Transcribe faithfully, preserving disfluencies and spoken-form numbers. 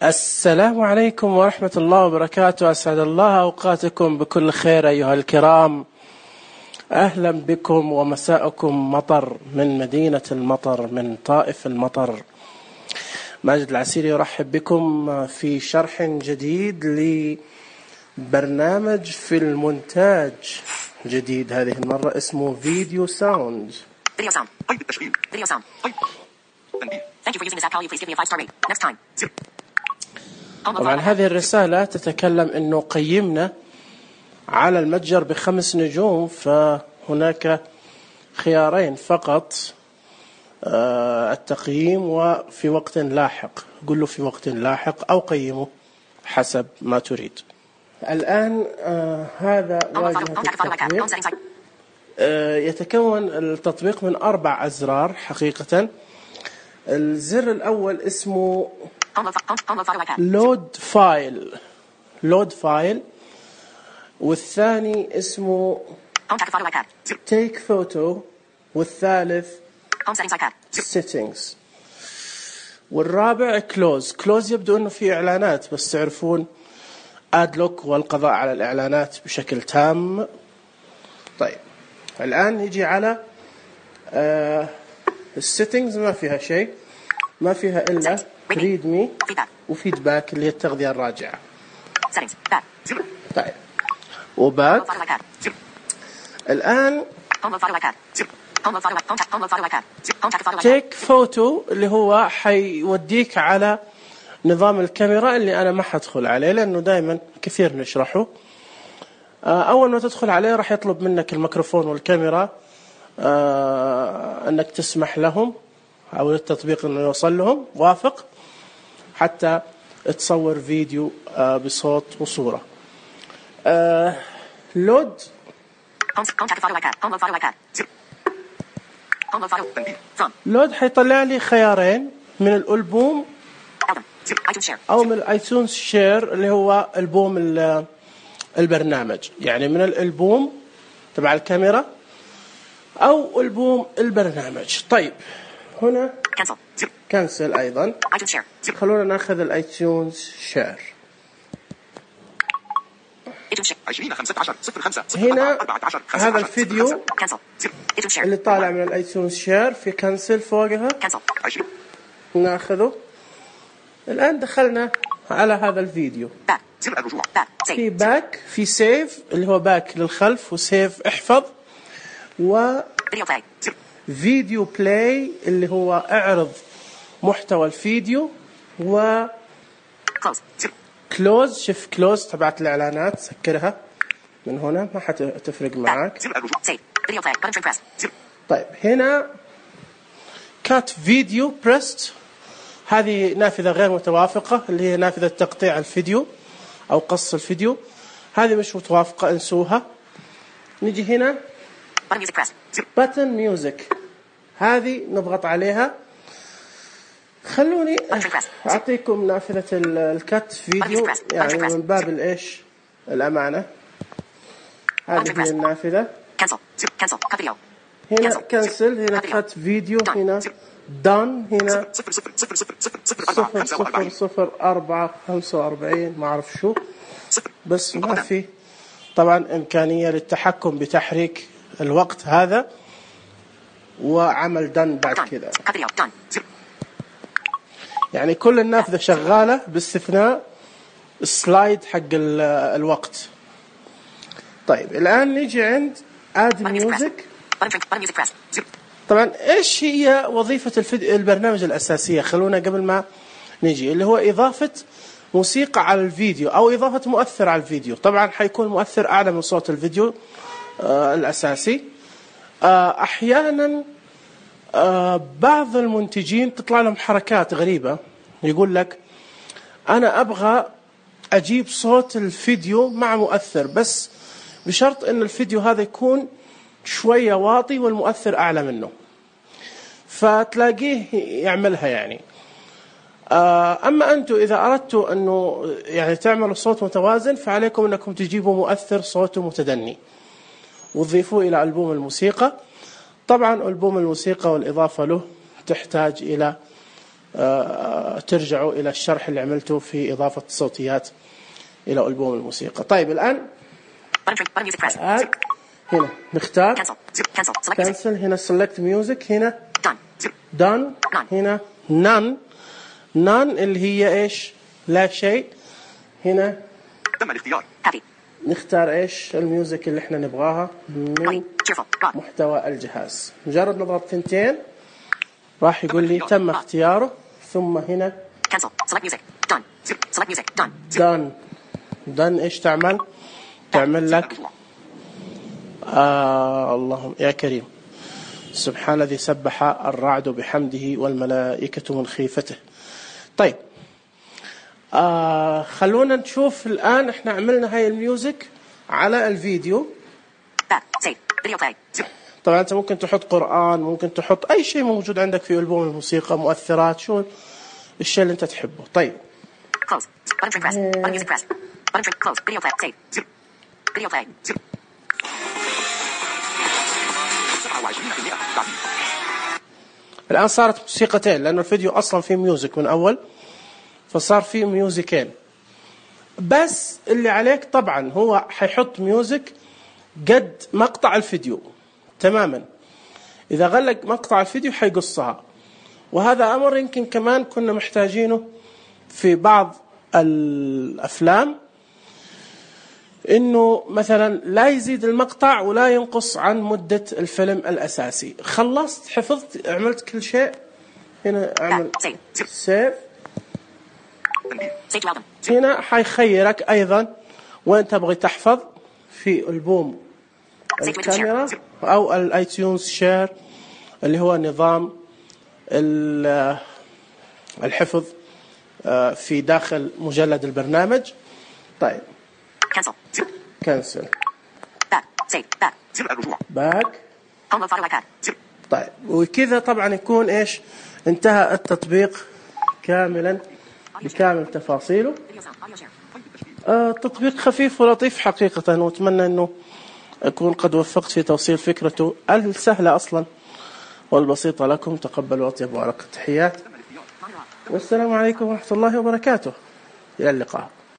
السلام عليكم ورحمة الله وبركاته. أسعد الله أوقاتكم بكل خير أيها الكرام. أهلا بكم ومساءكم مطر من مدينة المطر، من طائف المطر. ماجد العسيري يرحب بكم في شرح جديد لبرنامج في المونتاج جديد، هذه المرة اسمه فيديو ساوند. Video sound. طيب التشغيل. Video sound. طيب. تنبيه. Thank you for using this app. Can you please give me a five star rate? Next time. طبعا هذه الرسالة تتكلم إنه قيمنا على المتجر بخمس نجوم، فهناك خيارين فقط، التقييم وفي وقت لاحق. قل له في وقت لاحق أو قيمه حسب ما تريد. الآن آه هذا واجهة التطبيق. آه يتكون التطبيق من أربع أزرار حقيقة. الزر الأول اسمه لود فايل لود فايل والثاني اسمه تيك فوتو، والثالث settings، والرابع كلوز. كلوز يبدو انه في اعلانات، بس تعرفون ادلوك والقضاء على الاعلانات بشكل تام. طيب الان نجي على آه السيتنجز. ما فيها شيء، ما فيها الا ريد مي وفيدباك اللي هي التغذية الراجعة. طيب وباك. الآن تيك فوتو اللي هو حيوديك على نظام الكاميرا اللي أنا ما حدخل عليه لأنه دائما كثير نشرحه. أول ما تدخل عليه راح يطلب منك الميكروفون والكاميرا أنك تسمح لهم أو التطبيق أنه يوصل لهم، وافق حتى تصور فيديو بصوت وصورة. لود لود حيطلع لي خيارين، من الألبوم أو من الآيتونز شير اللي هو ألبوم البرنامج، يعني من الألبوم تبع الكاميرا أو ألبوم البرنامج. طيب هنا كنسل أيضا. خلونا ناخذ الآيتونز شير. هنا هذا الفيديو اللي طالع من الآيتونز شير في كنسل فوقها، ناخذه. الآن دخلنا على هذا الفيديو، في باك، في سيف اللي هو باك للخلف، وسيف احفظ، و فيديو بلاي اللي هو اعرض محتوى الفيديو، و كلوز. شوف كلوز تبعت الاعلانات، سكرها من هنا ما حتفرق معك. طيب هنا كات فيديو بريست، هذه نافذة غير متوافقة اللي هي نافذة تقطيع الفيديو او قص الفيديو، هذه مش متوافقة، انسوها. نجي هنا باتن ميوزك، هذه نضغط عليها. خلوني أعطيكم نافذة الكات فيديو يعني من باب الإيش الأمانة. هذه هي النافذة. هنا كنسل، هنا كات فيديو، هنا دان، هنا صفر صفر صفر أربعة خمسة وأربعين ما أعرف شو، بس ما في طبعا إمكانية للتحكم بتحريك الوقت هذا، وعمل دن بعد كذا. يعني كل النافذة شغالة باستثناء السلايد حق الوقت. طيب الآن نيجي عند آد ميوزك. طبعا إيش هي وظيفة البرنامج الأساسية؟ خلونا قبل ما نيجي، اللي هو إضافة موسيقى على الفيديو أو إضافة مؤثر على الفيديو. طبعا حيكون مؤثر أعلى من صوت الفيديو آه الأساسي. آه أحيانا آه بعض المنتجين تطلع لهم حركات غريبة، يقول لك أنا أبغى أجيب صوت الفيديو مع مؤثر، بس بشرط أن الفيديو هذا يكون شوية واطي والمؤثر أعلى منه، فتلاقيه يعملها يعني. أما أنتم إذا أردتوا أنه يعني تعملوا صوت متوازن، فعليكم أنكم تجيبوا مؤثر صوته متدني وتضيفوه إلى ألبوم الموسيقى. طبعا ألبوم الموسيقى والإضافة له تحتاج إلى ترجعوا إلى الشرح اللي عملته في إضافة الصوتيات إلى ألبوم الموسيقى. طيب الآن آه هنا نختار كانسل، هنا select music، هنا done، هنا none none اللي هي إيش لا شيء. هنا تم الاختيار. نختار إيش الميوزك اللي إحنا نبغاها من محتوى الجهاز. مجرد نضغط ثنتين راح يقول لي تم اختياره. ثم هنا done done إيش تعمل؟ تعمل لك آه اللهم يا كريم سبحان الذي سبح الرعد بحمده والملائكة من خيفته. طيب آه خلونا نشوف الآن احنا عملنا هاي الميوزك على الفيديو. طبعا انت ممكن تحط قرآن، ممكن تحط اي شيء موجود عندك في ألبوم الموسيقى، مؤثرات، شو الشيء اللي انت تحبه. طيب الآن صارت موسيقتين لأنه الفيديو أصلا فيه ميوزك من أول، فصار فيه ميوزكين. بس اللي عليك طبعا هو حيحط ميوزك قد مقطع الفيديو تماما. إذا غلق مقطع الفيديو حيقصها، وهذا أمر يمكن كمان كنا محتاجينه في بعض الأفلام، إنه مثلا لا يزيد المقطع ولا ينقص عن مدة الفيلم الأساسي. خلصت، حفظت، عملت كل شيء، هنا أعمل سيف. هنا حيخيرك أيضا وين تبغي تحفظ في ألبوم الكاميرا أو الآيتيونز شير اللي هو نظام الحفظ في داخل مجلد البرنامج. طيب كنسل باك. طيب وكذا طبعا يكون ايش انتهى التطبيق كاملا بكامل تفاصيله. آه تطبيق خفيف ولطيف حقيقة، واتمنى انه اكون قد وفقت في توصيل فكرته السهلة اصلا والبسيطة لكم. تقبلوا اطيب وارق التحيات، والسلام عليكم ورحمة الله وبركاته. الى اللقاء.